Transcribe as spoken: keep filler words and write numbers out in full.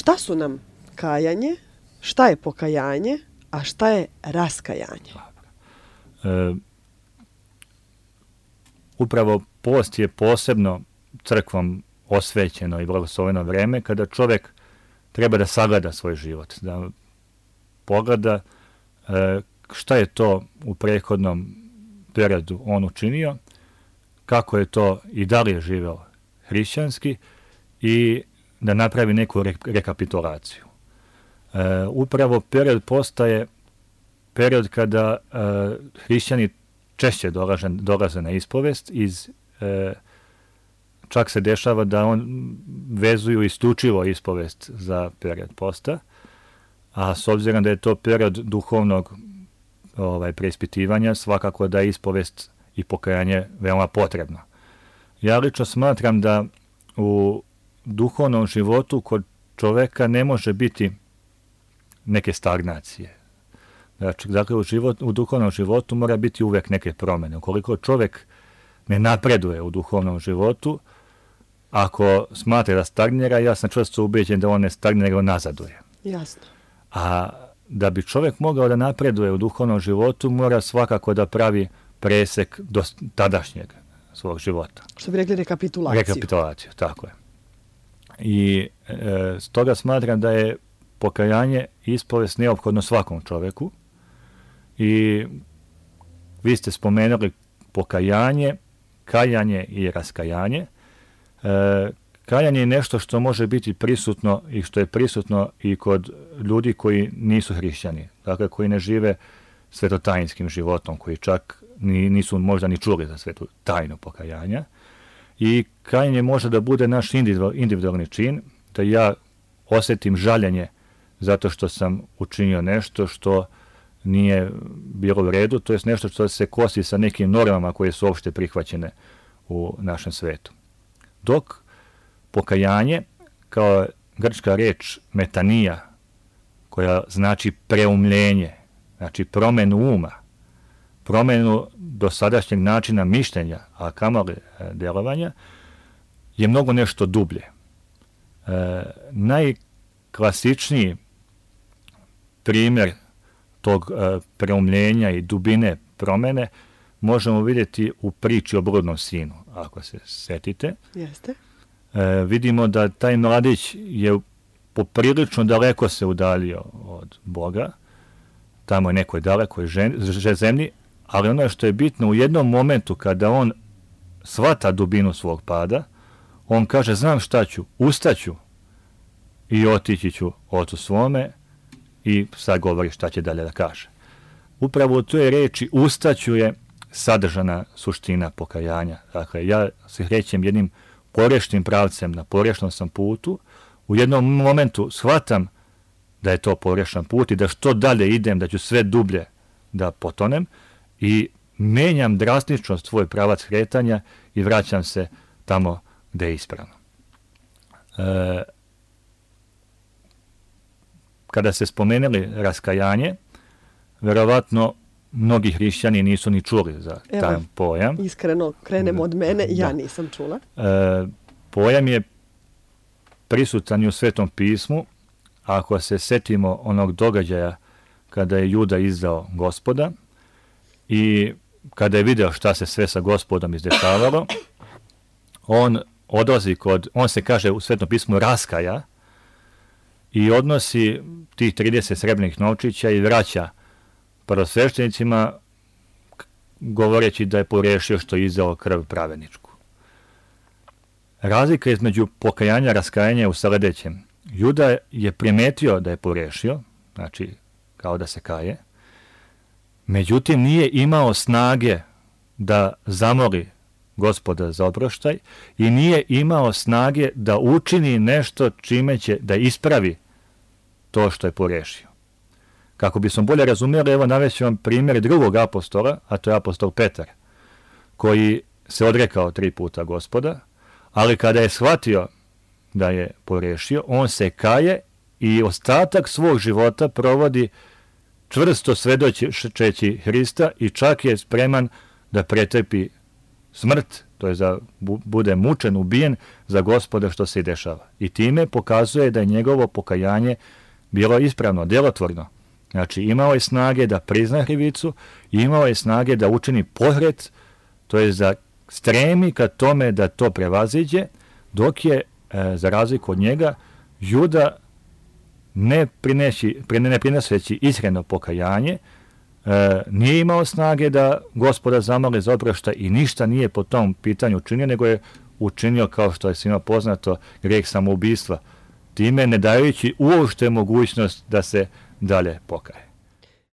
Šta su nam kajanje, šta je pokajanje, a šta je raskajanje? E, upravo post je posebno crkvom osvećeno i blagosloveno vreme kada čovjek treba da sagleda svoj život, da pogleda e, šta je to u prethodnom periodu on učinio, kako je to i da li je živeo hrišćanski i da napravi neku re, rekapitulaciju. E, upravo period posta je period kada e, hrišćani češće dolaze, dolaze na ispovest, iz, e, čak se dešava da on vezuju isključivo ispovest za period posta, a s obzirom da je to period duhovnog ovaj, preispitivanja, svakako da je ispovest i pokajanje veoma potrebno. Ja lično smatram da u duhovnom životu kod čoveka ne može biti neke stagnacije. Znači, dakle, u, život, u duhovnom životu mora biti uvek neke promjene. Ukoliko čovjek ne napreduje u duhovnom životu, ako smatra da stagnira, ja sam čvrsto ubeđen da on ne stagnira, nego nazaduje. Jasno. A da bi čovjek mogao da napreduje u duhovnom životu, mora svakako da pravi presek do tadašnjeg svog života. Što bi rekli rekapitulaciju. Rekapitulaciju, tako je. I e, stoga smatram da je pokajanje i ispovest neophodno svakom čovjeku. I vi ste spomenuli pokajanje, kajanje i raskajanje. E, kajanje je nešto što može biti prisutno i što je prisutno i kod ljudi koji nisu hrišćani, dakle koji ne žive svetotajinskim životom, koji čak ni, nisu možda ni čuli za svetu tajnu pokajanja. I kajanje može da bude naš individualni čin, da ja osjetim žaljenje zato što sam učinio nešto što nije bilo u redu, to je nešto što se kosi sa nekim normama koje su opšte prihvaćene u našem svetu. Dok pokajanje, kao grčka reč metanija, koja znači preumljenje, znači promjenu uma, promjenu dosadašnjeg načina mišljenja, a kamoli djelovanja, je mnogo nešto dublje. E, najklasičniji primjer tog e, preumljenja i dubine promjene možemo vidjeti u priči o bludnom sinu, ako se setite. Jeste. E, vidimo da taj mladić je poprilično daleko se udaljio od Boga, tamo je nekoj dalekoj zemlji, ali ono što je bitno, u jednom momentu kada on shvata dubinu svog pada, on kaže, znam šta ću, ustaću i otići ću ocu svome, i sad govori šta će dalje da kaže. Upravo u toj reči ustaću je sadržana suština pokajanja. Dakle, ja se krećem jednim pogrešnim pravcem, na pogrešnom sam putu, u jednom momentu shvatam da je to pogrešan put i da što dalje idem, da ću sve dublje da potonem i menjam drastično svoj pravac kretanja i vraćam se tamo gde je ispravno. E, kada se spomenuli raskajanje, verovatno mnogi hrišćani nisu ni čuli za Evo, taj pojam. Iskreno, krenemo od mene, ja nisam čula. E, pojam je prisutan i u Svetom pismu. Ako se setimo onog događaja kada je Juda izdao Gospoda i kada je video šta se sve sa Gospodom izdešavalo, on odlazi kod, on se kaže u Svetom pismu raskaja i odnosi tih trideset srebrnih novčića i vraća prvosveštenicima govoreći da je pogrešio što je izdao krv pravedničku. Razlika između pokajanja i raskajanja je u sledećem. Juda je primetio da je pogrešio, znači kao da se kaje, međutim nije imao snage da zamoli Gospoda za oproštaj i nije imao snage da učini nešto čime će da ispravi to što je pogrešio. Kako bismo bolje razumjeli, evo navešću vam primjer drugog apostola, a to je apostol Petar, koji se odrekao tri puta Gospoda, ali kada je shvatio da je pogrešio, on se kaje i ostatak svog života provodi čvrsto svedočeći Hrista i čak je spreman da pretrpi smrt to je da bu, bude mučen, ubijen za Gospoda što se i dešava. I time pokazuje da je njegovo pokajanje bilo ispravno, djelotvorno. Znači, imao je snage da prizna krivicu, imao je snage da učini pohret, to je da stremi ka tome da to prevaziđe, dok je, e, za razliku od njega, Juda ne, prineši, ne prineseći iskreno pokajanje, e, nije imao snage da Gospoda zamoli za oproštaj i ništa nije po tom pitanju učinio, nego je učinio, kao što je svima poznato, greh samoubistva, time ne dajući uopšte mogućnost da se dalje pokaje.